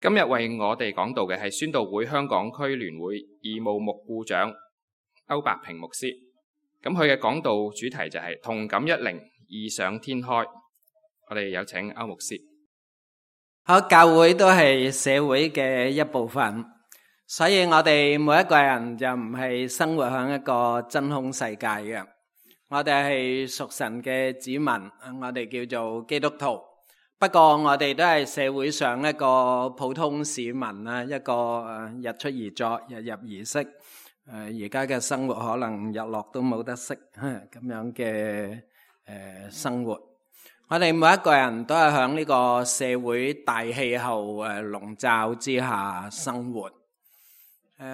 今日為我哋講道嘅係宣道會香港區聯會義務牧顧長歐伯平牧師。咁佢嘅講道主題就係同感一靈，異想天開。我哋有請歐牧師。好，教會都係社會嘅一部分，所以我哋每一個人就唔係生活喺一個真空世界嘅。我哋係屬神嘅子民，我哋叫做基督徒。不過我哋都係社會上一個普通市民啊，一個日出而作，日入而息。而家嘅生活可能日落都冇得息咁樣嘅生活。我哋每一個人都係喺呢個社會大氣候籠罩之下生活。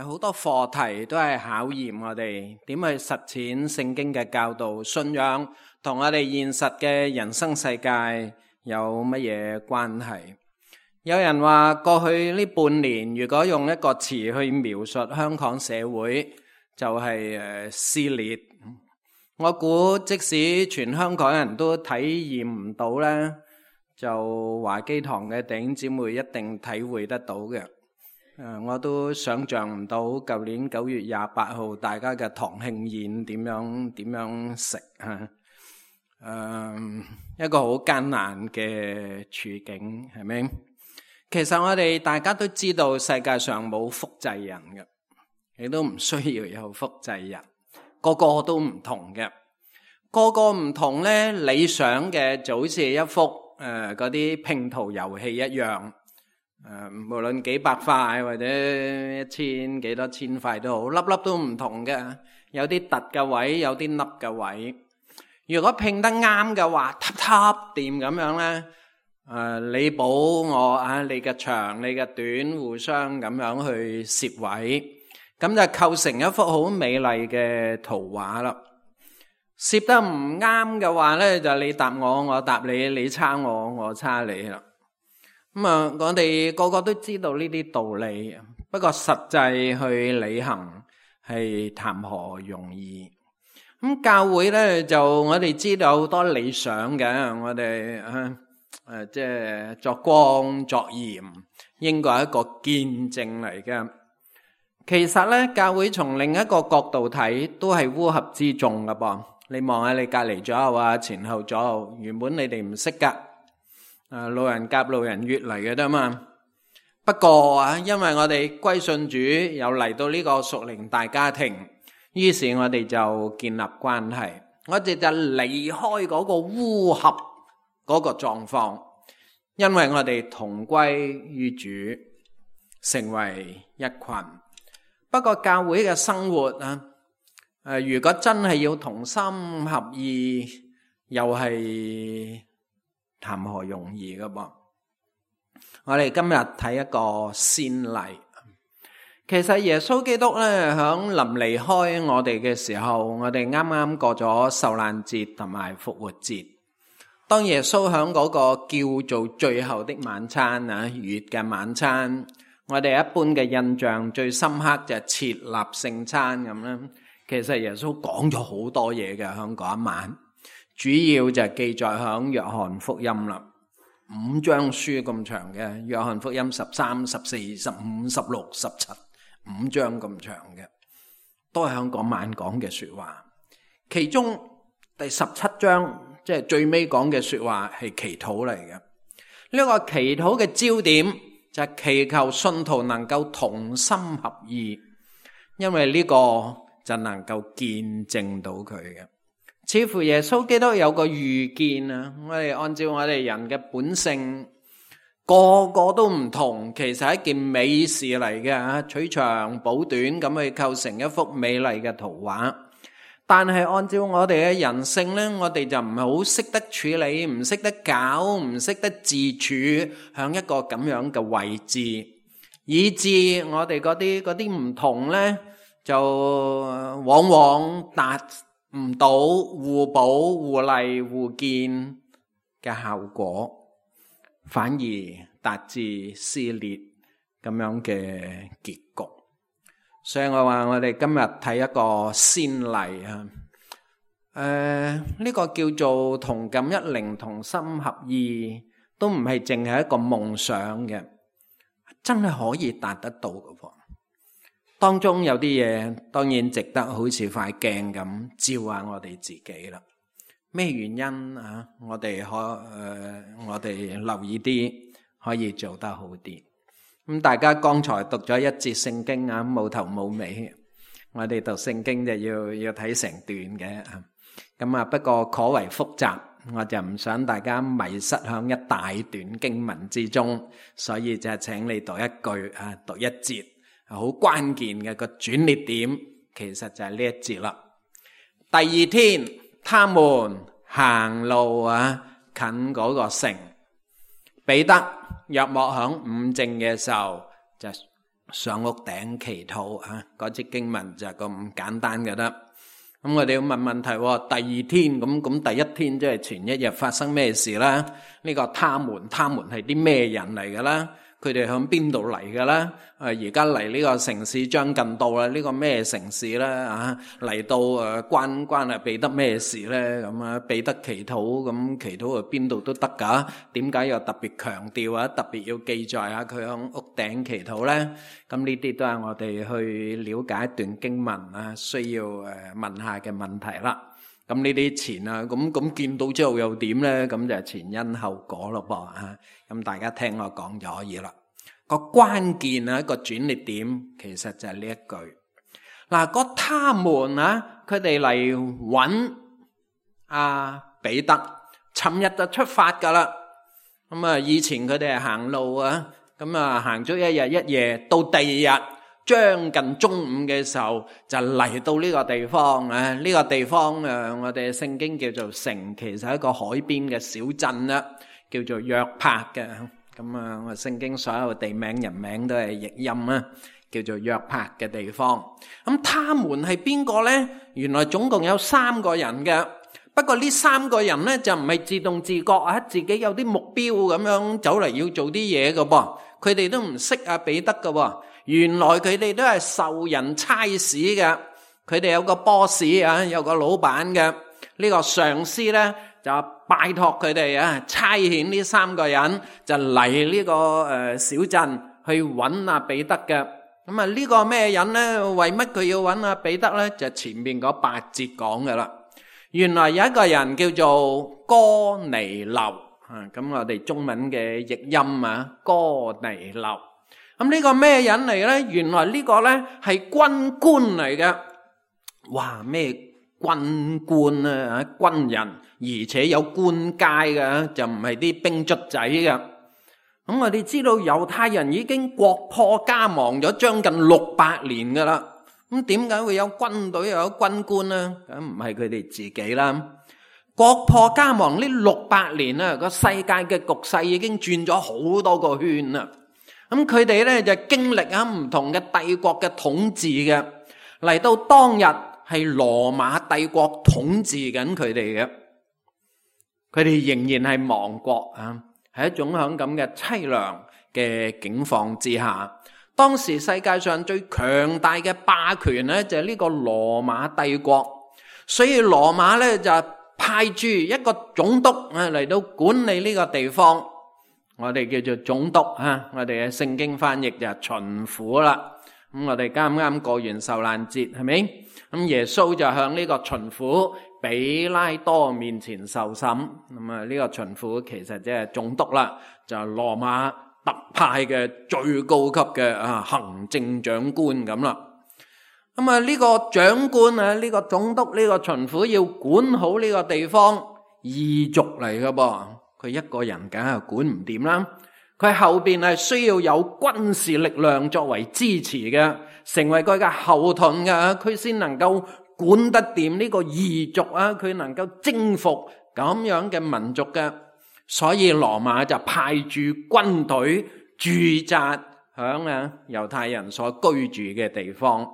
好多課題都係考驗我哋點去實踐聖經嘅教導，信仰同我哋現實嘅人生世界有乜嘢關係？有人話過去呢半年，如果用一個詞去描述香港社會，就係撕裂。我估即使全香港人都體驗唔到呢，就華基堂嘅弟兄姊妹一定體會得到嘅。我都想象唔到舊年9月28號大家嘅堂慶宴點樣食啊！一個好艱難嘅處境，係咪？其實我哋大家都知道世界上冇複製人嘅，亦都唔需要有複製人，個個都唔同嘅，個個唔同呢，理想嘅就好似一幅嗰啲拼圖遊戲一樣，無論幾百塊或者幾多千塊都好，粒粒都唔同嘅，有啲凸嘅位，有啲凹嘅位。如果拼得啱嘅話，嗒掂咁樣呢，你補我你嘅長你嘅短互相咁樣去攝位，咁就構成一幅好美麗嘅圖畫啦。攝得唔啱嘅話呢，就你答我，我答你，你差我，我差你啦。我哋個個都知道呢啲道理，不過實際去履行係談何容易。教會呢，就我哋知道好多理想嘅，我哋即係作光作鹽，應該係一個見證嚟嘅。其實呢，教會從另一個角度睇，都係烏合之眾㗎噃。你望下你隔離左右啊，前後左右，原本你哋唔識㗎，路人甲路人乙嚟嘅啫嘛。不過因為我哋歸信主，又嚟到呢個屬靈大家庭，於是我哋就建立關係，我哋就離開嗰個烏合嗰個狀況，因為我哋同歸於主，成為一群。不過教會嘅生活如果真係要同心合意，又係談何容易㗎噃。我哋今日睇一個先例。其實耶穌基督咧響臨離開我哋嘅時候，我哋啱啱過咗受難節同埋復活節。當耶穌響嗰個叫做最後的晚餐逾越嘅晚餐，我哋一般嘅印象最深刻就係設立聖餐咁啦。其實耶穌講咗好多嘢嘅響嗰一晚，主要就係記載響約翰福音啦，5章書咁長嘅，約翰福音13、14、15、16、17，5章咁長嘅，都係喺嗰晚講嘅說話。其中第17章即係最尾講嘅說話係祈禱嚟嘅。呢個祈禱嘅焦點就係祈求信徒能夠同心合意，因為呢個就能夠見證到佢嘅。似乎耶穌基督有個預見我哋按照我哋人嘅本性，個個都唔同，其實係一件美事嚟嘅，取長補短咁去構成一幅美麗嘅圖畫。但係按照我哋嘅人性呢，我哋就唔係好識得處理，唔識得搞，唔識得自處響一個咁樣嘅位置，以致我哋嗰啲唔同呢，就往往達唔到互補互勵互見嘅效果，反而達至撕裂咁樣嘅結局。所以我話我哋今日睇一個先例呢個叫做同感一靈，同心合意，都唔係淨係一個夢想嘅，真係可以達得到嘅噃。當中有啲嘢當然值得好似塊鏡咁照下我哋自己啦。咩原因啊？我哋留意啲，可以做得好啲。咁大家剛才讀咗一節聖經啊，冇頭冇尾。我哋讀聖經就要睇成段嘅。咁啊，不過頗為複雜，我就唔想大家迷失響一大段經文之中，所以就請你讀一句啊，讀一節，好關鍵嘅個轉捩點，其實就係呢一節啦。第二天，他們行路啊，近嗰個城，彼得約莫響午正嘅時候就上屋頂祈禱啊。嗰節經文就咁簡單嘅啦。咁我哋要問問題喎，第二天咁第一天即係前一日發生咩事啦？呢個他們係啲咩人嚟㗎啦？佢哋響邊度嚟㗎啦？而家嚟呢個城市將近到啦，呢個咩城市咧？嚟到關啊彼得咩事咧？咁啊彼得祈禱，咁祈禱去邊度都得㗎？點解又特別強調啊？特別要記載下佢響屋頂祈禱咧？咁呢啲都係我哋去了解一段經文啊，需要問下嘅問題啦。咁呢啲前啊，咁見到之後又點咧？咁就係前因後果咯噃啊！咁大家聽我講就可以啦。個關鍵啊，一個轉捩點，其實就係呢一句。嗱，個他們啊，佢哋嚟揾阿彼得，尋日就出發噶啦。咁啊，以前佢哋係行路啊，咁啊行咗一日一夜，到第二日將近中午嘅時候就嚟到呢個地方啊。呢個地方我哋聖經叫做城，其實係一個海邊嘅小鎮啦，叫做約帕嘅。咁啊，我聖經所有地名人名都係譯音啊，叫做約帕嘅地方。咁他們係邊個呢？原來總共有3個人嘅。不過呢3個人呢，就唔係自動自覺啊，自己有啲目標咁樣走嚟要做啲嘢嘅噃。佢哋都唔識阿彼得嘅喎。原來佢哋都係受人差使嘅。佢哋有個 boss 啊，有個老闆嘅。呢個上司呢，就拜託佢哋啊，差遣呢3個人就嚟呢個小鎮去揾阿彼得嘅。咁啊呢個咩人呢？為乜佢要揾阿彼得呢？就前面嗰8節講嘅啦。原來有一個人叫做哥尼流啊，咁我哋中文嘅譯音啊，哥尼流。咁呢個咩人嚟呢？原來呢個呢係軍官嚟嘅。哇，咩軍官啊，軍人，而且有官階嘅，就唔係啲兵卒仔嘅。咁我哋知道猶太人已經國破家亡咗將近600年噶啦。咁點解會有軍隊又有軍官呢？咁唔係佢哋自己啦。國破家亡呢600年啊，個世界嘅局勢已經轉咗好多個圈啦。咁佢哋咧就經歷啊唔同嘅帝國嘅統治嘅，嚟到當日係羅馬帝國統治緊佢哋嘅，佢哋仍然係亡國啊，係一種響咁嘅淒涼嘅境況之下。當時世界上最強大嘅霸權咧就係呢個羅馬帝國，所以羅馬咧就派駐一個總督啊嚟到管理呢個地方，我哋叫做總督啊，我哋嘅聖經翻譯就係巡撫啦。咁我哋啱啱過完受難節，係咪？咁耶穌就向呢個巡撫比拉多面前受審。咁啊，呢個巡撫其實即係總督啦，就係羅馬特派嘅最高級嘅行政長官咁啦。咁啊呢個長官啊，呢個總督，呢個巡撫要管好呢個地方，異族嚟噶噃，佢一個人梗係管唔掂啦。佢後邊係需要有軍事力量作為支持嘅，成為佢嘅後盾嘅，佢先能夠管得掂呢個異族啊，佢能夠征服咁樣嘅民族嘅。所以羅馬就派駐軍隊駐紮響猶太人所居住嘅地方。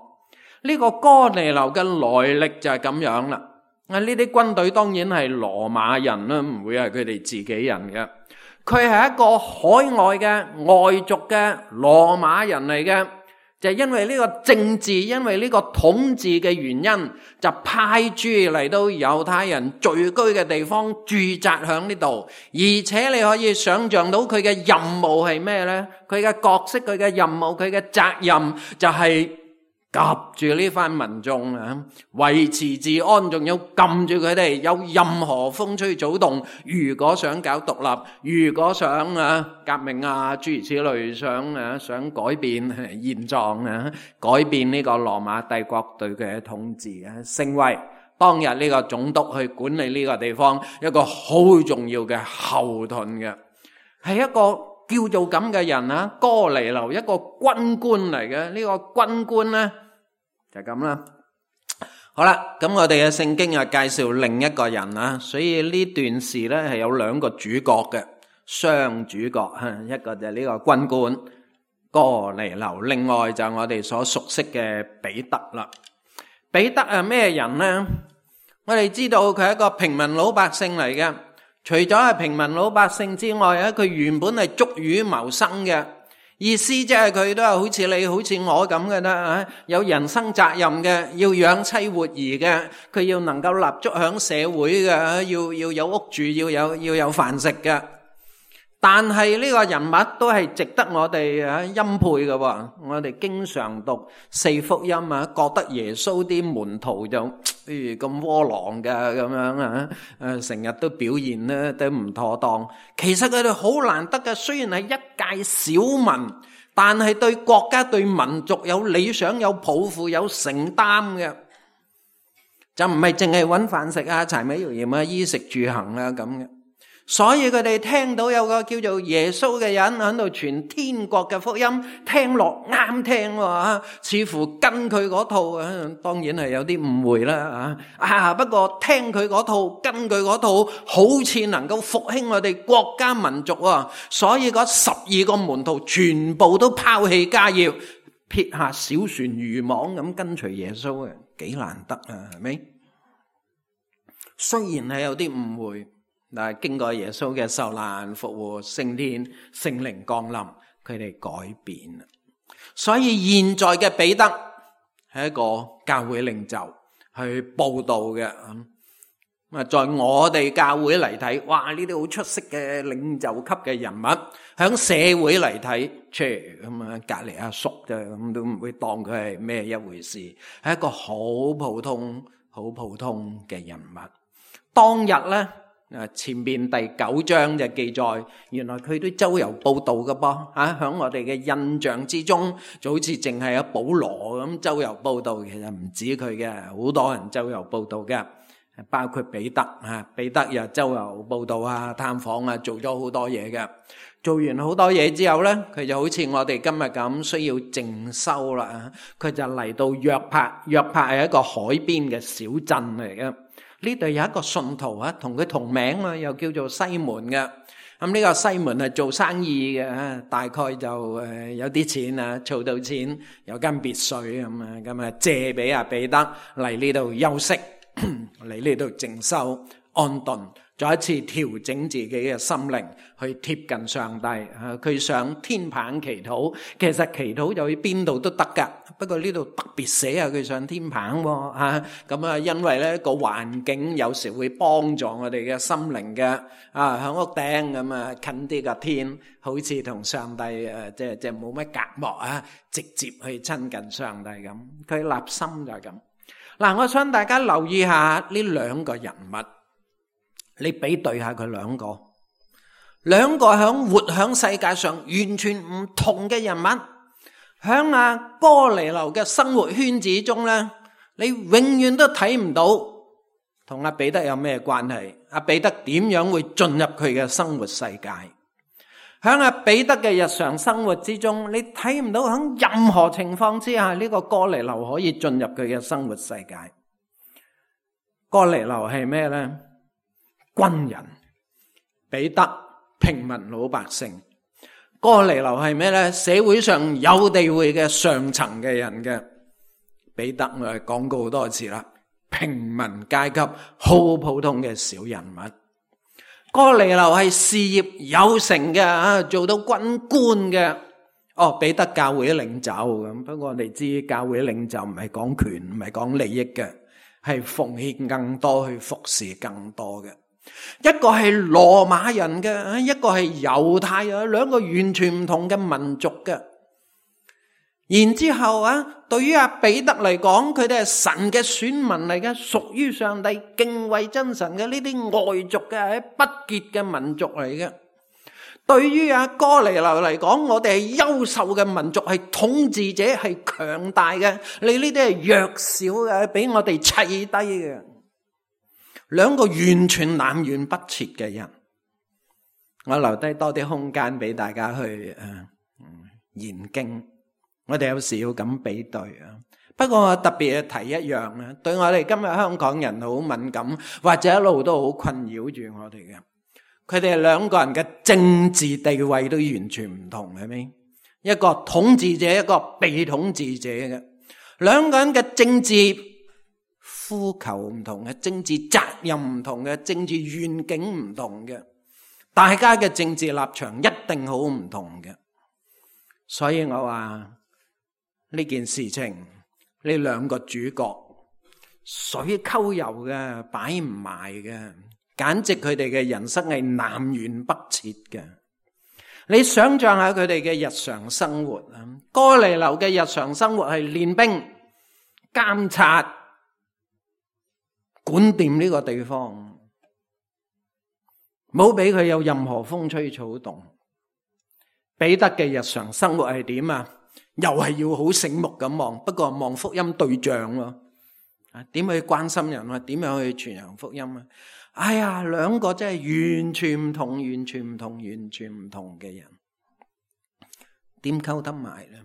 呢個哥尼流嘅來歷就係咁樣啦。呢啲軍隊當然係羅馬人啦，唔會係佢哋自己人嘅。佢係一個海外嘅外族嘅羅馬人嚟嘅，就係因為呢個政治，因為呢個統治嘅原因，就派駐嚟到猶太人聚居嘅地方駐紮響呢度，而且你可以想象到佢嘅任務係咩呢？佢嘅角色、佢嘅任務、佢嘅責任就係夾住呢番民眾啊，維持治安，仲要撳住佢哋，有任何風吹草動，如果想搞獨立，如果想革命啊諸如此類，想改變現狀啊，改變呢個羅馬帝國對佢嘅統治啊，成為當日呢個總督去管理呢個地方一個好重要嘅後盾嘅，係一個叫做咁嘅人啊，哥尼流，一個軍官嚟嘅。呢個軍官呢就咁啦。好啦，咁我哋嘅聖經又介紹另一個人啊，所以呢段事呢係有兩個主角嘅，雙主角，一個就係呢個軍官哥尼流，另外就係我哋所熟悉嘅彼得啦。彼得係咩人呢？我哋知道佢係一個平民老百姓嚟嘅，除咗係平民老百姓之外咧，佢原本係捉魚謀生嘅，意思即係佢都係好似你好似我咁嘅啦，有人生責任嘅，要養妻活兒嘅，佢要能夠立足響社會嘅，要有屋住，要有飯食嘅。但係呢個人物都係值得我哋欽佩嘅。我哋經常讀四福音啊，覺得耶穌啲門徒就咁窩囊嘅咁樣成日都表現咧都唔妥當。其實佢哋好難得嘅，雖然係一介小民，但係對國家對民族有理想、有抱負、有承擔嘅，就唔係淨係搵飯食啊、柴米油鹽啊、衣食住行啊咁嘅。所以佢哋聽到有個叫做耶穌嘅人喺度傳天國嘅福音，聽落啱聽喎，似乎跟佢嗰套啊，當然係有啲誤會啦不過聽佢嗰套，跟佢嗰套，好似能夠復興我哋國家民族啊。所以嗰12個門徒全部都拋棄家業，撇下小船漁網咁跟隨耶穌嘅，幾難得啊，係咪？雖然係有啲誤會，但係經過耶穌嘅受難復活升天聖靈降臨，佢哋改變啦。所以現在嘅彼得係一個教會領袖去報道嘅。在我哋教會嚟睇，哇，呢啲好出色嘅領袖級嘅人物，響社會嚟睇，咁隔籬阿叔啫，咁都唔會當佢係咩一回事，係一個好普通嘅人物。當日咧，前面第9章就記載，原來佢都周遊報道㗎噃，響我哋嘅印象之中，就好似淨係阿保羅咁周遊報道，其實唔止佢嘅，好多人周遊報道嘅，包括彼得，彼得又周遊報道啊、探訪啊，做咗好多嘢嘅。做完好多嘢之後咧，佢就好似我哋今日咁需要靜修啦，佢就嚟到約帕。約帕係一個海邊嘅小鎮嚟嘅。呢度有一個信徒同佢同名啊，又叫做西門嘅。咁呢個西門係做生意嘅，大概就有啲錢啊，儲到錢，有間別墅咁啊，借俾阿彼得嚟呢度休息，嚟呢度靜修安頓，再一次調整自己嘅心靈，去貼近上帝。佢上天棚祈禱，其實祈禱就去邊度都得噶，不過呢度特別寫下佢上天棚喎。咁啊，因為咧個環境有時會幫助我哋嘅心靈嘅。響屋頂咁啊，近啲個天，好似同上帝即係冇乜隔膜啊，直接去親近上帝咁。佢立心就係咁。嗱，我想大家留意下呢兩個人物，你比對下佢兩個活響世界上完全唔同嘅人物，響阿哥尼流嘅生活圈子中咧，你永遠都睇唔到同阿彼得有咩關係。阿彼得點樣會進入佢嘅生活世界？響阿彼得嘅日常生活之中，你睇唔到響任何情況之下呢個哥尼流可以進入佢嘅生活世界。哥尼流係咩咧？軍人。彼得平民老百姓。哥尼流係咩咧？社會上有地位嘅上層嘅人嘅。彼得我哋講過好多次啦，平民階級好普通嘅小人物。哥尼流係事業有成嘅，做到軍官嘅，彼得教會領袖咁，不過我哋知教會領袖唔係講權，唔係講利益嘅，係奉獻更多，去服侍更多嘅。一個係羅馬人嘅，一個係猶太人，兩個完全唔同嘅民族嘅。然之後對於彼得嚟講，佢哋係神嘅選民嚟嘅，屬於上帝敬畏真神嘅呢啲外族嘅，係不潔嘅民族嚟嘅。對於哥尼流嚟講，我哋係優秀嘅民族，係統治者，係強大嘅，你呢啲係弱小嘅，俾我哋砌低嘅。兩個完全南轅北轍嘅人，我留低多啲空間俾大家去研經。我哋有時要咁比對啊。不過我特別提一樣咧，對我哋今日香港人好敏感，或者一路都好困擾住我哋嘅。佢哋兩個人嘅政治地位都完全唔同，係咪？一個統治者，一個被統治者嘅，兩個人嘅政治呼求唔同嘅，政治責任唔同嘅，政治願景唔同嘅，大家嘅政治立場一定好唔同嘅。所以我話呢件事情，呢兩個主角水溝油嘅，擺唔埋嘅，簡直佢哋嘅人生係南轅北轍嘅。你想象下佢哋嘅日常生活啊，哥尼流嘅日常生活係練兵、監察、管掂呢個地方，冇俾佢有任何風吹草動。彼得嘅日常生活係點啊？又係要好醒目咁望，不過望福音對象咯。點去關心人啊？點樣去傳揚福音啊？哎呀，兩個真係完全唔同，完全唔同，完全唔同嘅人，點溝得埋咧？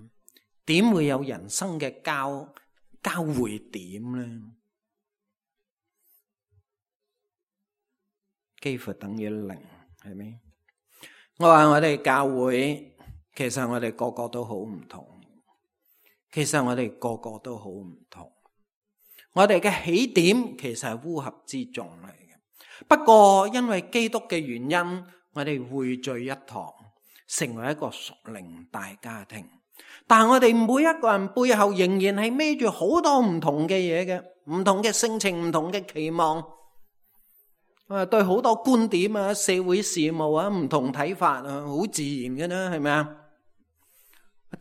點會有人生嘅交匯點咧？幾乎等於零，係咪？我話我哋教會，其實我哋個個都好唔同。其實我哋個個都好唔同。我哋嘅起點其實係烏合之眾嚟嘅。不過因為基督嘅原因，我哋匯聚一堂，成為一個屬靈大家庭。但係我哋每一個人背後仍然係孭住好多唔同嘅嘢嘅，唔同嘅性情，唔同嘅期望。對好多觀點啊、社會事務啊唔同睇法啊，好自然嘅啦，係咪啊？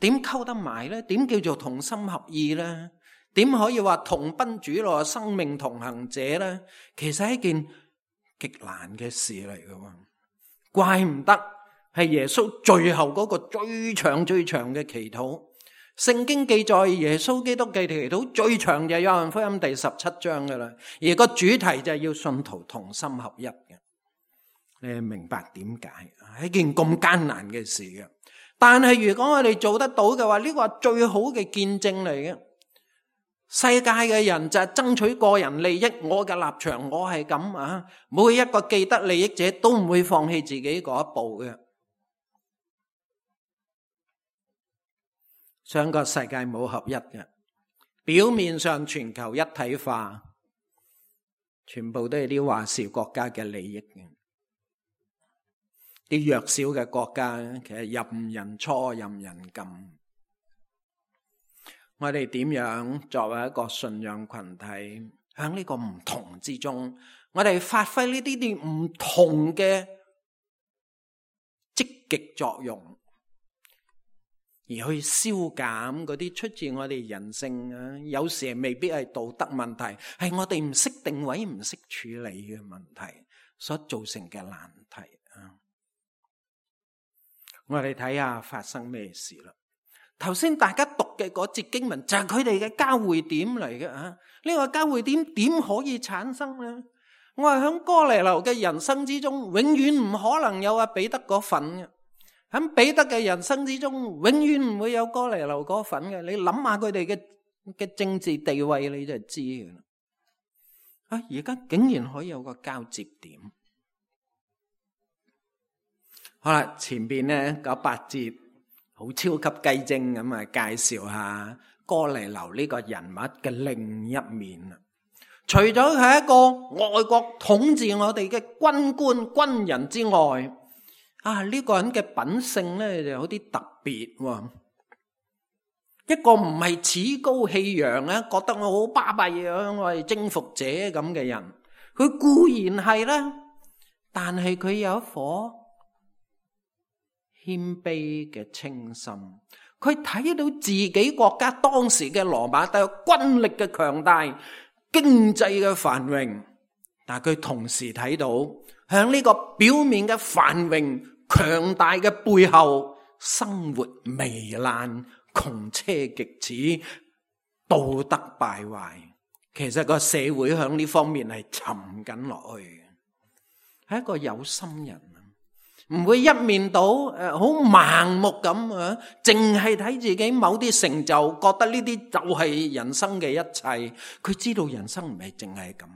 點溝得埋咧？點叫做同心合意咧？點可以話同奔主路、生命同行者咧？其實係一件極難嘅事嚟嘅，怪唔得係耶穌最後嗰個最長嘅祈禱。聖經記載耶穌基督嘅祈禱最長就係約翰福音第17章噶啦，而個主題就係要信徒同心合一嘅。你明白點解？係一件咁艱難嘅事嘅。但係如果我哋做得到嘅話，呢個係最好嘅見證嚟嘅。世界嘅人就係爭取個人利益，我嘅立場我係咁啊，每一個既得利益者都唔會放棄自己嗰一步嘅。上個世界冇合一嘅，表面上全球一體化，全部都係啲話事國家嘅利益嘅。啲弱小嘅國家其實任人搓任人禁。我哋點樣作為一個信仰群體，喺呢個唔同之中，我哋發揮呢啲唔同嘅積極作用，而去消減嗰啲出自我哋人性啊，有時未必係道德問題，係我哋唔識定位、唔識處理嘅問題所造成嘅難題啊！我哋睇下發生咩事啦。頭先大家讀嘅嗰節經文就係佢哋嘅交匯點嚟嘅啊！呢個交匯點點可以產生呢？我係響哥尼流嘅人生之中，永遠唔可能有阿彼得嗰份嘅。喺彼得嘅人生之中，永遠唔會有哥尼流嗰份嘅。你諗下佢哋嘅政治地位，你就知嘅啦。而家竟然可以有個交接點。好啦，前邊呢嗰8節好超級雞精咁啊，介紹下哥尼流呢個人物嘅另一面啦。除咗係一個外國統治我哋嘅軍官軍人之外，呢個人嘅品性咧就有啲特別喎。一個唔係趾高氣揚咧，覺得我好巴閉啊，我係征服者咁嘅人，佢固然係啦，但係佢有一顆謙卑嘅清心。佢睇到自己國家當時嘅羅馬帝國軍力嘅強大、經濟嘅繁榮，但係佢同時睇到響呢個表面嘅繁榮強大嘅背後，生活糜爛、窮奢極侈、道德敗壞。其實個社會響呢方面係沉緊落去嘅，係一個有心人，唔會一面倒好盲目咁啊，淨係睇自己某啲成就，覺得呢啲就係人生嘅一切。佢知道人生唔係淨係咁。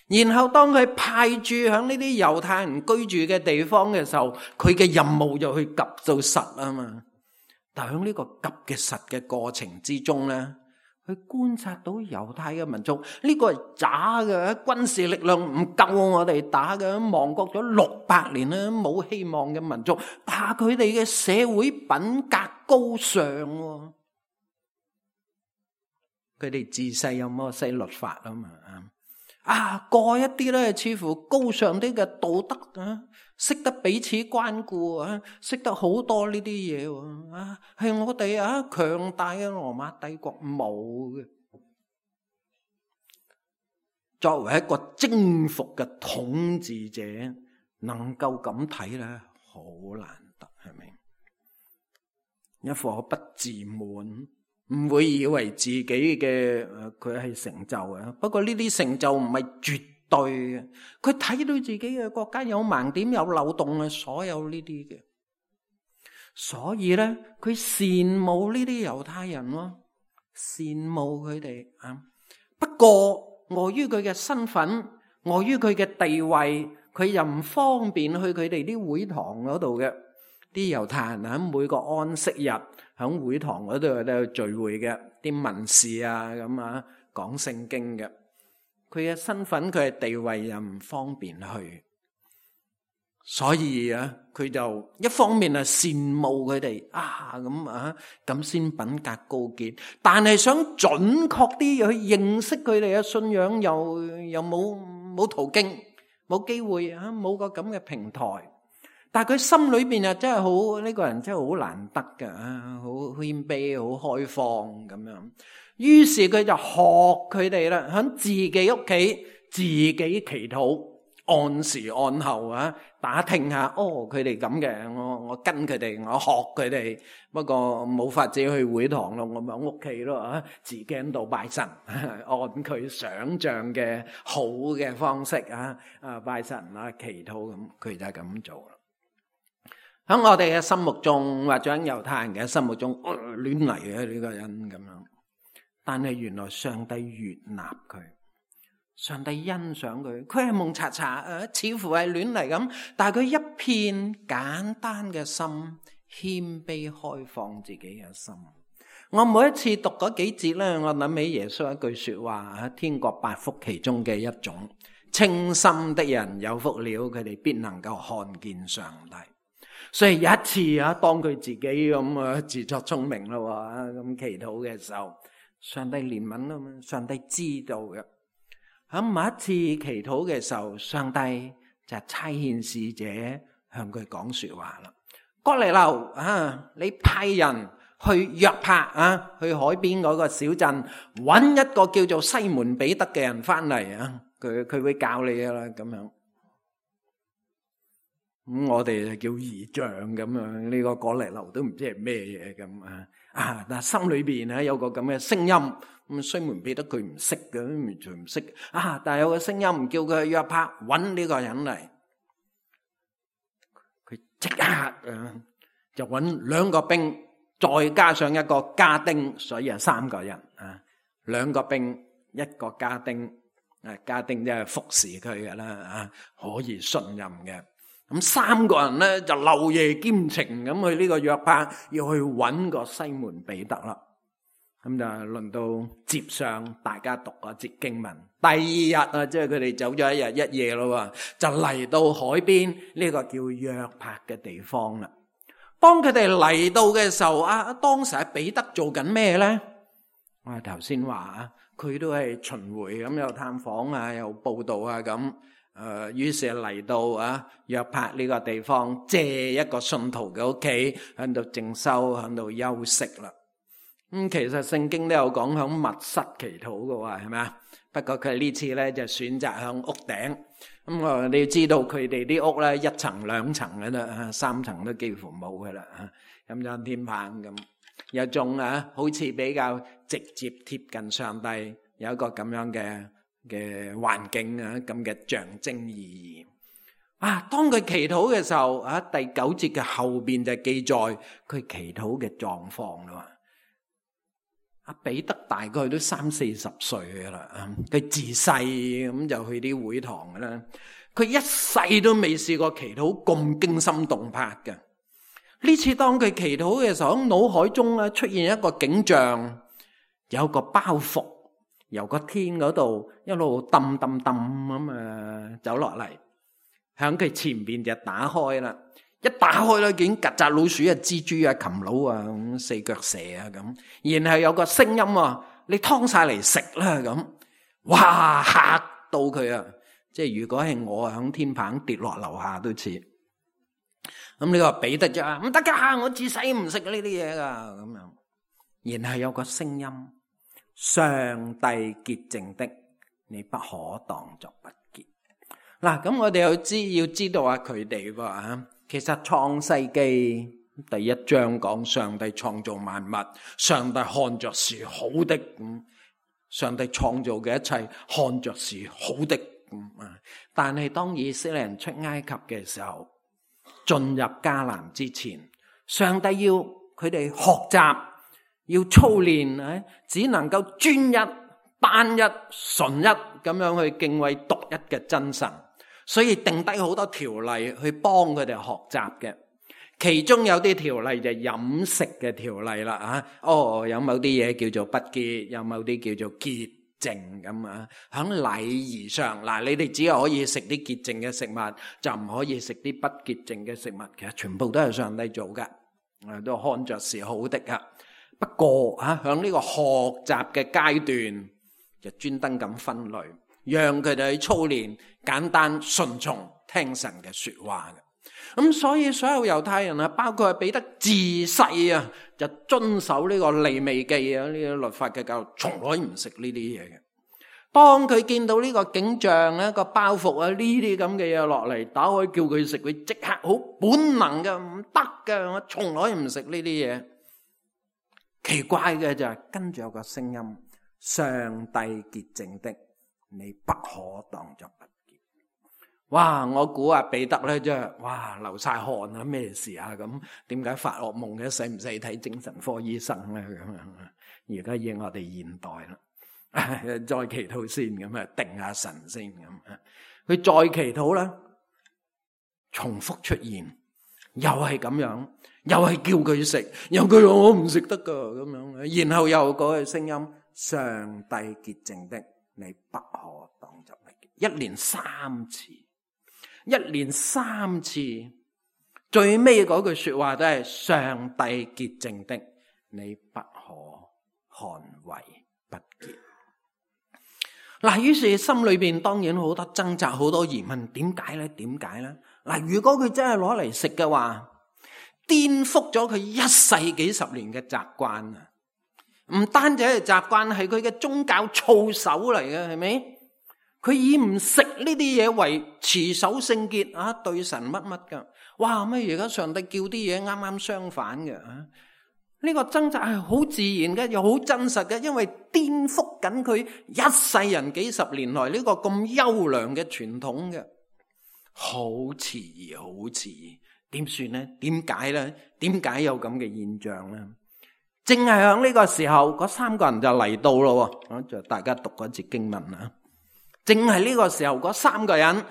然後當佢派駐響呢啲猶太人居住嘅地方嘅時候，佢嘅任務就去及到實啊嘛。但係喺呢個及嘅實嘅過程之中咧，佢觀察到猶太嘅民族呢個係渣嘅，軍事力量唔夠我哋打嘅，亡國咗600年啦，冇希望嘅民族，但係佢哋嘅社會品格高尚，佢哋自細有摩西律法啊嘛，過一啲咧似乎高尚啲嘅道德啊，識得彼此關顧啊，識得好多呢啲嘢啊，係我哋強大嘅羅馬帝國冇嘅。作為一個征服嘅統治者，能夠咁睇咧，好難得，係咪？一顆不自滿，唔會以為自己嘅佢係成就啊。不過呢啲成就唔係絕對嘅，佢睇到自己嘅國家有盲點、有漏洞啊，所有呢啲嘅。所以咧，佢羨慕呢啲猶太人咯，羨慕佢哋啊。不過礙於佢嘅身份，礙於佢嘅地位，佢又唔方便去佢哋啲會堂嗰度嘅。啲猶太人喺每個安息日喺會堂嗰度都聚會嘅，啲文士啊咁啊講聖經嘅。佢嘅身份，佢嘅地位又唔方便去，所以佢就一方面係羨慕佢哋咁先品格高潔，但係想準確啲去認識佢哋嘅信仰，又冇途徑，冇機會冇個咁嘅平台。但係佢心裏邊啊，真係好，呢個人真係好難得㗎，好謙卑，好開放咁樣。於是佢就學佢哋啦，喺自己屋企自己祈禱，按時按候打聽下，佢哋咁嘅，我跟佢哋，我學佢哋。不過冇法子去會堂咯，我咪喺屋企咯，自己喺度拜神，按佢想象嘅好嘅方式拜神祈禱咁，佢就係咁做啦。喺我哋嘅心目中，或者喺猶太人嘅心目中，亂嚟嘅呢個人咁樣。但係原來上帝悅納佢，上帝欣賞佢，佢係蒙查查，似乎係亂嚟咁，但係佢一片簡單嘅心，謙卑開放自己嘅心。我每一次讀嗰幾節咧，我諗起耶穌一句說話，天國8福其中嘅一種，清心的人有福了，佢哋必能夠看見上帝。所以有一次當佢自己咁自作聰明咯，咁祈禱嘅時候，上帝憐憫啊嘛，上帝知道嘅。喺某一次祈禱嘅時候，上帝就差遣使者向佢講說話啦。哥尼流你派人去約帕去海邊嗰個小鎮，搵一個叫做西門彼得嘅人翻嚟佢會教你噶啦咁樣。咁我哋就叫異象咁樣，呢個哥尼流都唔知係咩嘢咁但係心裏邊有個咁嘅聲音，咁西門彼得佢唔識嘅，完全唔識但係有個聲音唔叫佢去約帕揾呢個人嚟，佢即刻就揾2個兵，再加上一個家丁，所以係3個人2個兵1個家丁，家丁即係服侍佢嘅啦可以信任嘅。咁3個人咧就漏夜兼程咁去呢個約帕，要去揾個西門彼得啦。咁就輪到接上大家讀嗰節經文。第二日啊，即係佢哋走咗一日一夜咯，就嚟到海邊呢個叫約帕嘅地方啦。當佢哋嚟到嘅時候，當時彼得做緊咩咧？我頭先話佢都係巡迴咁，有探訪啊，有報道啊咁。於是嚟到約帕呢個地方，借一個信徒嘅屋企喺度靜修，喺度休息啦。其實聖經都有講響密室祈禱嘅喎，係咪啊？不過佢呢次咧就選擇響屋頂。你要知道佢哋啲屋咧一層兩層嘅啦，三層都幾乎冇嘅啦。咁樣天棚咁，有種好似比較直接貼近上帝，有一個咁樣嘅環境咁嘅象徵意義。當佢祈禱嘅時候，第9節嘅後邊就記載佢祈禱嘅狀況啦。彼得大概都30-40歲噶啦，佢自細咁就去啲會堂噶啦，佢一世都未試過祈禱咁驚心動魄嘅。呢次當佢祈禱嘅時候，喺腦海中出現一個景象，有個包袱由個天嗰度一路揼揼揼咁走落嚟，響佢前邊就打開啦。一打開咧，見曱甴、老鼠、蜘蛛、蠄蟧咁四腳蛇咁，然後有個聲音你劏晒嚟食啦咁，哇嚇到佢啊！即係如果係我響天棚跌落樓下都似。咁呢個彼得就話唔得噶，我自細唔食呢啲嘢噶咁樣。然後有個聲音：上帝潔淨的，你不可當作不潔。嗱，咁我哋要知道佢哋喎。其實創世記第1章講上帝創造萬物，上帝看着是好的，上帝創造嘅一切看着是好的。但係當以色列人出埃及嘅時候，進入迦南之前，上帝要佢哋學習，要操練，只能夠專一、單一、純一咁樣去敬畏獨一嘅真神。所以定低好多條例去幫佢哋學習嘅，其中有啲條例就係飲食嘅條例啦。有某啲嘢叫做不潔，有某啲叫做潔淨咁。喺禮儀上，你哋只係可以食啲潔淨嘅食物，就唔可以食啲不潔淨嘅食物。其實全部都係上帝做嘅，都看着是好的。不過喺呢個學習嘅階段，就專登咁分類，讓佢哋去操練簡單順從聽神嘅說話嘅。咁所以所有猶太人包括彼得自細就遵守呢個利未記呢個律法嘅教育，從來唔食呢啲嘢嘅。當佢見到呢個景象個包袱呢啲咁嘅嘢落嚟，打開叫佢食，佢即刻好本能嘅，唔得嘅，我從來唔食呢啲嘢。奇怪嘅就係跟住有個聲音：上帝潔淨的，你不可當作不潔。哇！我估彼得咧真係流晒汗啊！咩事啊？咁點解發噩夢嘅？使唔使睇精神科醫生咧？咁樣而家應我哋現代啦，再祈禱先咁定下神先咁。佢再祈禱啦，重複出現，又係咁樣，又係叫佢食，又佢話我唔食得噶咁樣，然後又嗰句聲音：上帝潔淨的，你不可當作不潔。一連3次。一連3次，最尾嗰句說話都係上帝潔淨的，你不可看為不潔。嗱，於是心裏邊當然好多掙扎，好多疑問，點解咧？點解咧？嗱，如果佢真係攞嚟食嘅話，顛覆咗佢一世幾十年嘅習慣啊！唔單止係習慣，係佢嘅宗教操守嚟嘅，係咪？佢以唔食呢啲嘢為持守聖潔對神乜乜噶。哇！咩而家上帝叫啲嘢啱啱相反嘅呢個掙扎係好自然嘅，又好真實嘅，因為顛覆緊佢一世人幾十年來呢個咁優良嘅傳統嘅。好遲疑，好遲疑，點算呢？點解呢？點解有咁嘅現象呢？正係響呢個時候，嗰3個人就嚟到咯。就大家讀嗰節經文啦。正係呢個時候，嗰3個人，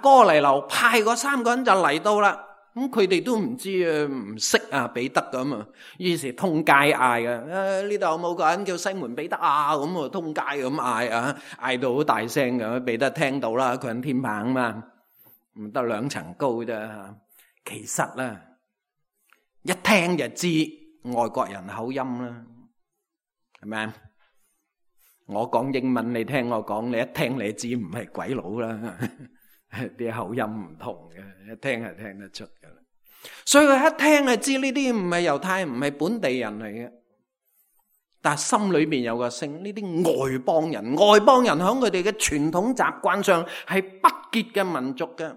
哥尼流派嗰3個人就嚟到啦。咁佢哋都唔知啊，唔識啊彼得咁啊，於是通街嗌啊，呢度有冇個人叫西門彼得啊？咁啊通街咁嗌啊，嗌到好大聲嘅，彼得聽到啦，佢喺天棚嘛，唔得2層高啫。其實咧，一聽就知外國人口音啦，係咪啊？我講英文你聽我講，你一聽你知唔係鬼佬啦，啲口音唔同嘅，一聽係聽得出噶啦。所以佢一聽就知呢啲唔係猶太人，唔係本地人嚟嘅，但係心裏邊有個聲，呢啲外邦人喺佢哋嘅傳統習慣上係不潔嘅民族嘅。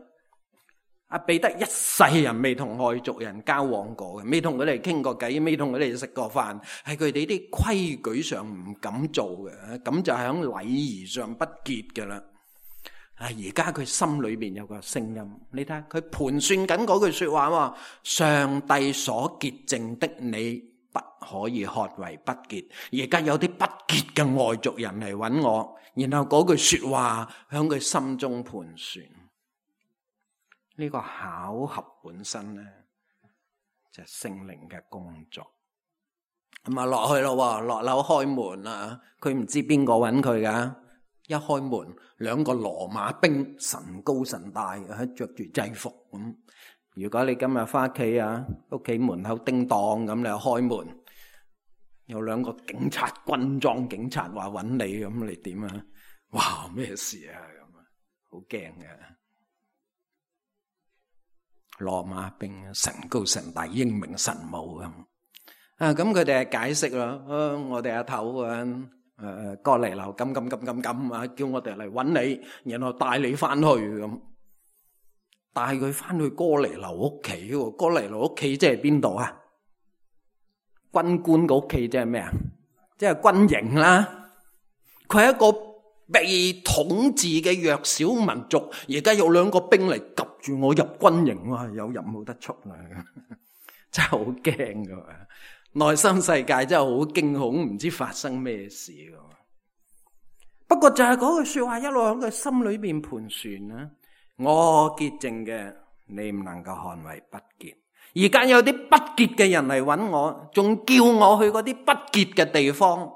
阿彼得一世人未同外族人交往過嘅，未同佢哋傾過偈，未同佢哋食過飯，係佢哋啲規矩上唔敢做嘅，咁就係喺禮儀上不潔嘅啦。而家佢心裏邊有個聲音，你睇下佢盤算緊嗰句說話喎，上帝所潔淨的你不可以看為不潔。而家有啲不潔嘅外族人嚟揾我，然後嗰句說話喺佢心中盤算。呢個巧合本身咧，就係聖靈嘅工作。咁啊落去咯，落樓開門啊，佢唔知邊個揾佢噶。一開門，2個羅馬兵，神高神大，着住制服咁。如果你今日翻屋企啊，屋企門口叮當咁，你開門，有2個警察，軍裝警察話揾你，咁你點啊？哇，咩事啊？咁啊，好驚嘅。羅馬兵，神高神大，英明神武咁。咁佢哋係解釋啦。我哋阿頭哥尼流咁啊，叫我哋嚟揾你，然後帶你翻去咁。帶佢翻去哥尼流屋企。哥尼流屋企即係邊度啊？軍官嘅屋企即係咩啊？即係軍營啦。佢係一個被統治嘅弱小民族，而家有2個兵嚟及住我入軍營，哇！有入冇得出啦，真係好驚噶，內心世界真係好驚恐，唔知發生咩事噶。不過就係嗰句說話一路喺佢心裏邊盤旋啦。我潔淨嘅，你唔能夠看為不潔。而家有啲不潔嘅人嚟揾我，仲叫我去嗰啲不潔嘅地方。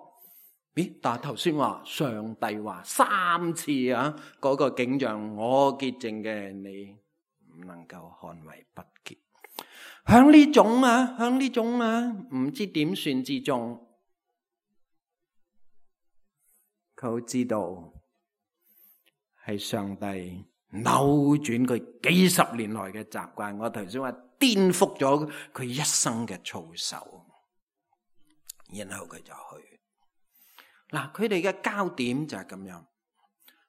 咦？但係頭先話上帝話3次啊，嗰個景象，我潔淨嘅，你唔能夠看為不潔。響呢種唔知點算之中，佢好知道係上帝扭轉佢幾十年來嘅習慣。我頭先話顛覆咗佢一生嘅操守，然後佢就去。嗱，佢哋嘅焦點就係咁樣。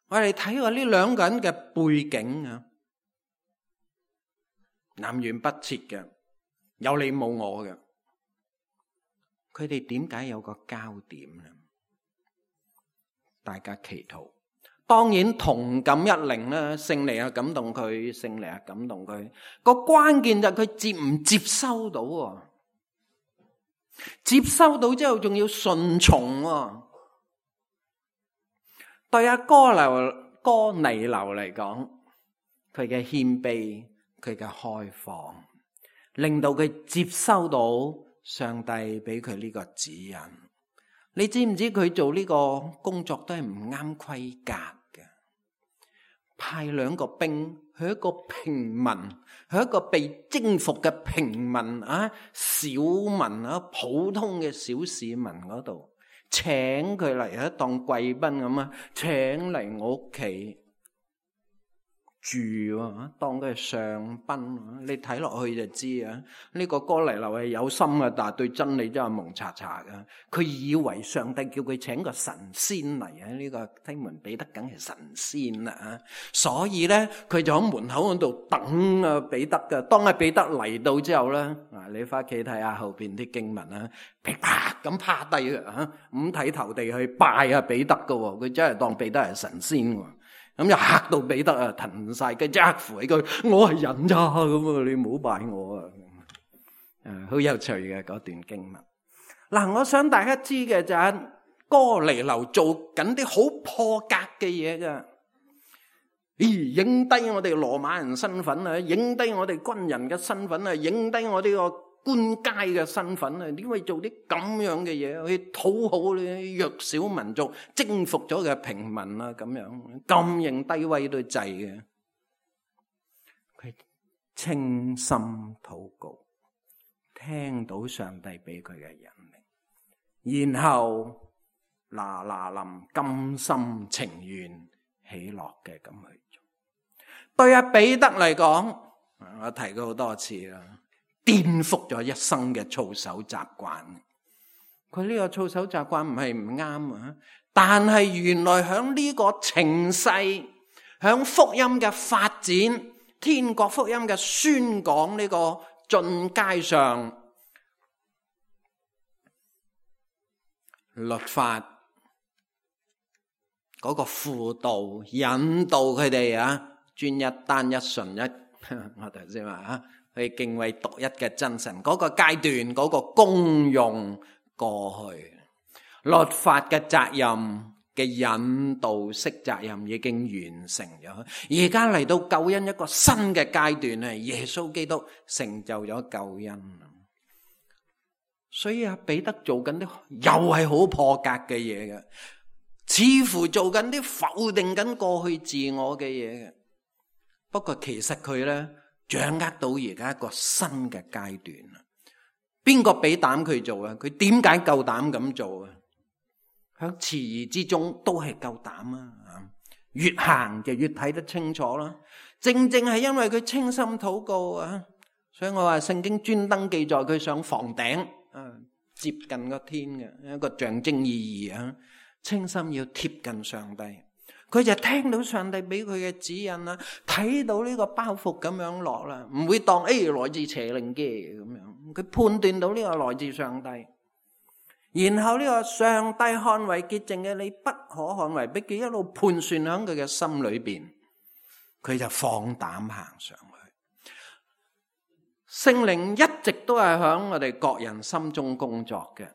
我哋睇過呢2個人嘅背景啊，南轅北轍嘅，有你冇我嘅。佢哋點解有個焦點呢？大家祈禱。當然同感一靈啦，聖靈啊感動佢，聖靈啊感動佢。個關鍵就係佢接唔接收到喎。接收到之後仲要順從喎。對阿哥尼流嚟講，佢嘅謙卑，佢嘅開放，令到佢接收到上帝俾佢呢個指引。你知唔知佢做呢個工作都係唔啱規格嘅？派2個兵去一個平民，去一個被征服嘅平民啊，小民啊，普通嘅小市民嗰度。請佢嚟當貴賓咁啊，請嚟我屋企住啊，當佢係上賓。你睇落去就知啊，呢個哥尼流係有心嘅，但係對真理真係蒙查查嘅。佢以為上帝叫佢請個神仙嚟啊，呢個西門彼得梗係神仙啦，所以咧佢就喺門口嗰度等啊彼得嘅。當阿彼得嚟到之後咧，你翻屋企睇下後邊啲經文啊，噼啪咁趴低啊，五體投地去拜阿彼得嘅，佢真係當彼得係神仙。咁就嚇到彼得啊，騰晒嘅，即刻扶起佢，我係人咋咁啊！你唔好拜我啊！好有趣嘅嗰段經文。嗱，我想大家知嘅就係哥尼流做緊啲好破格嘅嘢噶。影低我哋羅馬人身份啊，影低我哋軍人嘅身份啊，影低我呢個官階嘅身份啊，點會做啲咁樣嘅嘢去討好呢弱小民族，征服咗嘅平民啊？咁樣咁認低威都制嘅。佢清心禱告，聽到上帝俾佢嘅引領，然後嗱嗱臨甘心情願喜樂嘅咁去做。對阿彼得嚟講，我提過好多次啦，顛覆咗一生嘅操守習慣。佢呢個操守習慣唔係唔啱啊，但係原來響呢個情勢，響福音嘅發展，天國福音嘅宣講呢個進階上，律法嗰個輔導引導佢哋啊，專一單一純一，我頭先話啊，去敬畏獨一嘅真神嗰個階段，嗰個功用過去，律法嘅責任嘅引導式責任已經完成咗，而家嚟到救恩一個新嘅階段啊！耶穌基督成就咗救恩，所以阿彼得做緊啲又係好破格嘅嘢嘅，似乎做緊啲否定緊過去自我嘅嘢嘅。不過其實佢咧掌握到而家一個新嘅階段啦。邊個俾膽佢做啊？佢點解夠膽咁做啊？喺遲疑之中都係夠膽啊！越行就越睇得清楚啦。正正係因為佢清心禱告啊，所以我話聖經專登記載佢上房頂啊，接近個天嘅一個象徵意義啊。清心要貼近上帝，佢就聽到上帝俾佢嘅指引啦，睇到呢個包袱咁樣落啦，唔會當來自邪靈嘅咁樣，佢判斷到呢個來自上帝。然後呢個上帝看為潔淨嘅，你不可看為卑鄙，一路盤算喺佢嘅心裏邊，佢就放膽行上去。聖靈一直都係喺我哋各人心中工作嘅。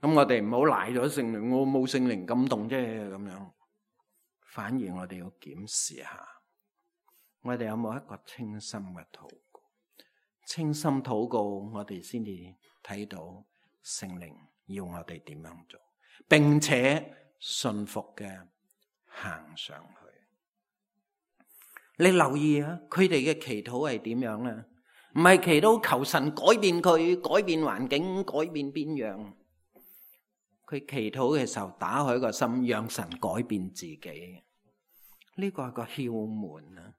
咁我哋唔好賴咗聖靈，我冇聖靈感動啫咁樣。反而我哋要檢視下，我哋有冇一個清心嘅禱告？清心禱告，我哋先至睇到聖靈要我哋點樣做，並且信服嘅行上去。你留意啊，佢哋嘅祈禱係點樣咧？唔係祈禱求神改變佢，改變環境，改變邊樣。佢祈禱嘅時候，打開個心，讓神改變自己。呢個係個竅門啊！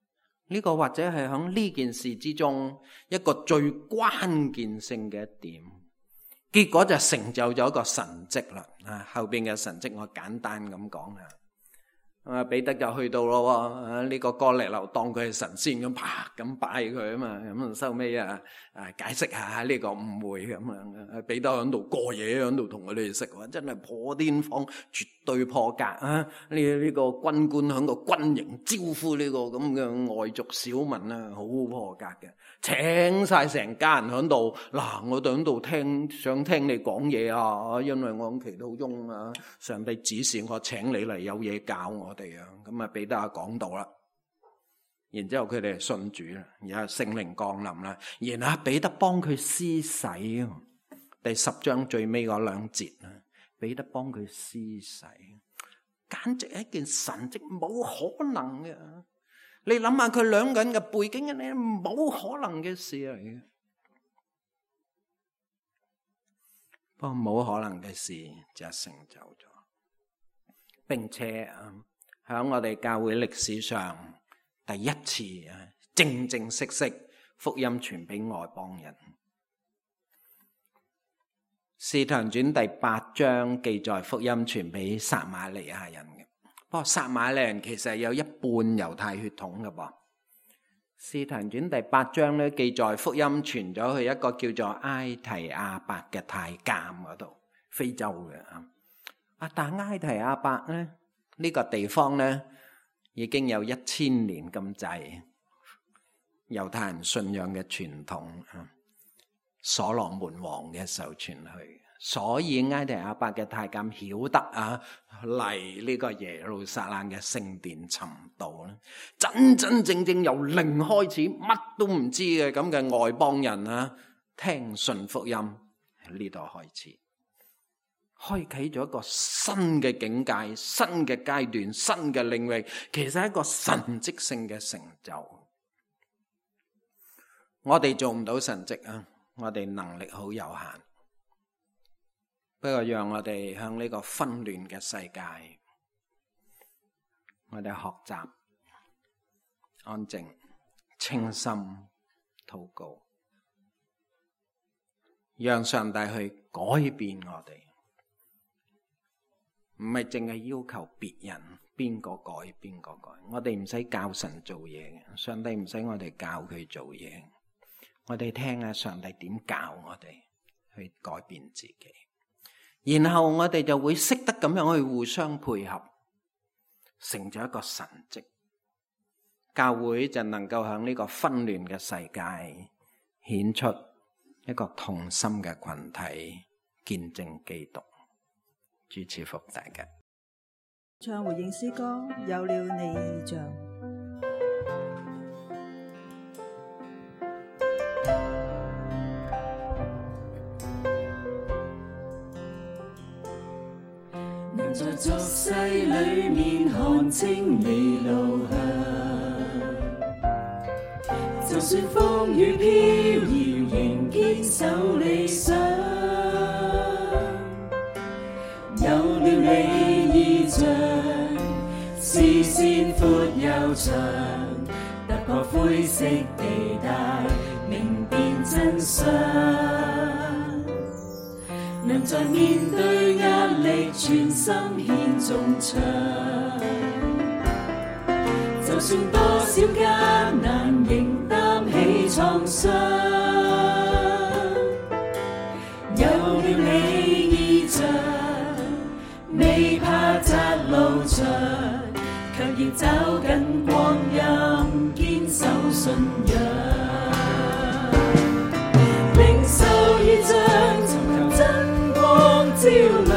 呢個或者係喺呢件事之中一個最關鍵性嘅一點。結果就成就咗一個神蹟啦。啊，後邊嘅神蹟我簡單咁講下。彼得就去到咯，呢個哥尼流當佢係神仙咁，啪咁拜佢啊嘛，咁收尾解釋下呢個誤會咁樣。彼得喺度過夜，喺度同佢哋食，真係破天荒，絕對破格啊！呢個軍官喺個軍營招呼呢個咁嘅外族小民啊，好破格嘅，請晒成家人喺度。嗱，我哋喺度想聽你講嘢啊，因為我喺祈禱中啊，上帝指示我請你嚟，有嘢教我哋啊。咁啊，彼得講道啦，然之後佢哋信主啦，然後聖靈降臨啦，然後彼得幫佢施洗，第10章最尾嗰2節啊，彼得幫佢施洗，簡直係一件神蹟，冇可能嘅。你諗下佢兩個人嘅背景，你冇可能嘅事嚟嘅。不過冇可能嘅事就成就咗，並且喺我哋教會歷史上第一次正正式式福音傳俾外邦人。使徒行傳第8章記載福音傳俾撒瑪利亞人嘅，不過撒瑪利亞人其實有一半猶太血統嘅噃。使徒行傳第8章咧記載福音傳咗去一個叫做埃提亞伯嘅太監嗰度，非洲嘅但埃提亞伯咧呢個地方咧已經有1000年咁滯猶太人信仰嘅傳統，所羅門王嘅時候傳去，所以埃提阿伯嘅太監曉得嚟呢個耶路撒冷嘅聖殿尋道咧，真真正正由零開始，乜都唔知嘅咁嘅外邦人聽信福音，喺呢度開始，開啟咗一個新嘅境界、新嘅階段、新嘅領域，其實係一個神蹟性嘅成就。我哋做唔到神蹟我哋能力好有限。不過讓我哋向呢個紛亂嘅世界，我哋學習安靜、清心禱告，讓上帝去改變我哋，唔係淨係要求別人邊個改邊個改，我哋唔使教神做嘢嘅，上帝唔使我哋教佢做嘢，我哋聽下上帝點教我哋去改變自己。然後我哋就會識得咁樣去互相配合，成咗一個神蹟，教會就能夠向呢個紛亂嘅世界顯出一個同心嘅群體，見證基督。主賜福大家。唱回應詩歌，有了你異象。在俗世裏面看清你路向，就算風雨飄搖，仍堅守理想。有了你異象，視線闊又長，突破灰色地帶，明辨真相。能在面對壓力，全心獻頌唱。就算多少艱難，仍擔起創傷。有了你異象，未怕窄路長，卻要找緊光陰，堅守信仰。領受異象，尋求真照亮，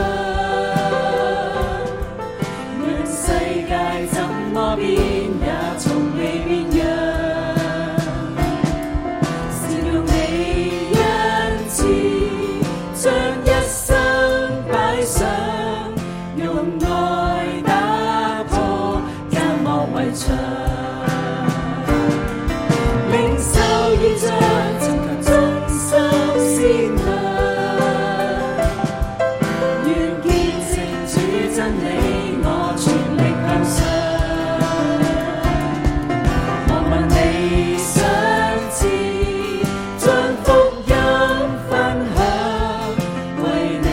讓世界怎麼變也從未變樣。是用你恩賜，將一生擺上，用愛打破隔膜圍牆。領受異象，尋求忠心善良。真理我全力向上，我問你想知，將福音分享，為你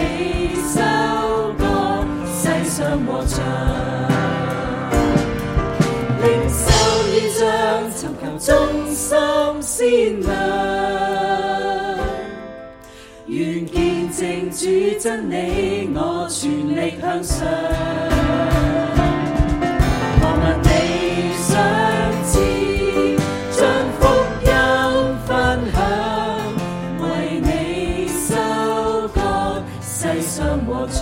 收割世上禾場。領受異象，尋求忠心善良，願見證主真理我全力向上。我問你想知，將福音分享，為你收割世上禾場。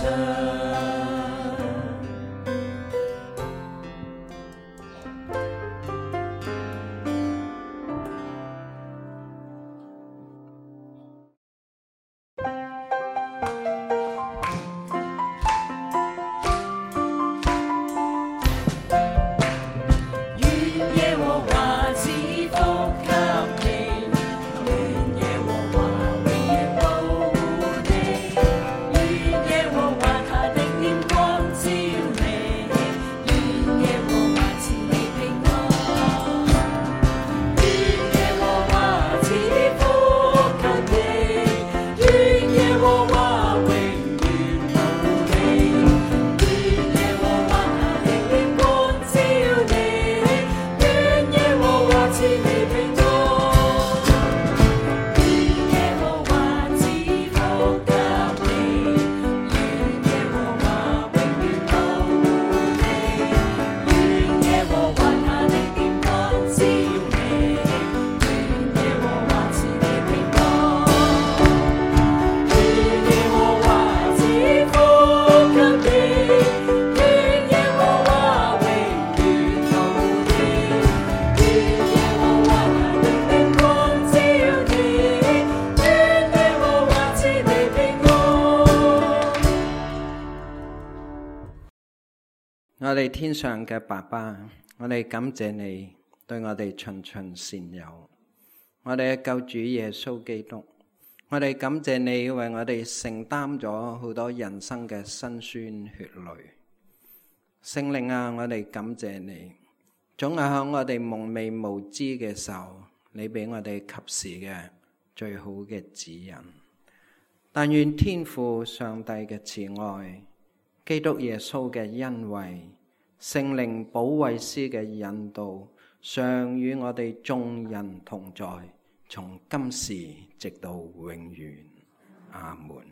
我哋天上嘅爸爸，我哋感謝你對我哋循循善誘，我哋嘅救主耶穌基督，我哋感謝你為我哋承擔咗好多人生嘅辛酸血淚。聖靈啊，我哋感謝你，總係喺我哋蒙昧無知嘅時候，你俾我哋及時嘅最好嘅指引。但願天父上帝嘅慈愛，基督耶穌嘅恩惠，聖靈保惠師嘅引導，常與我哋眾人同在，從今時直到永遠。阿門。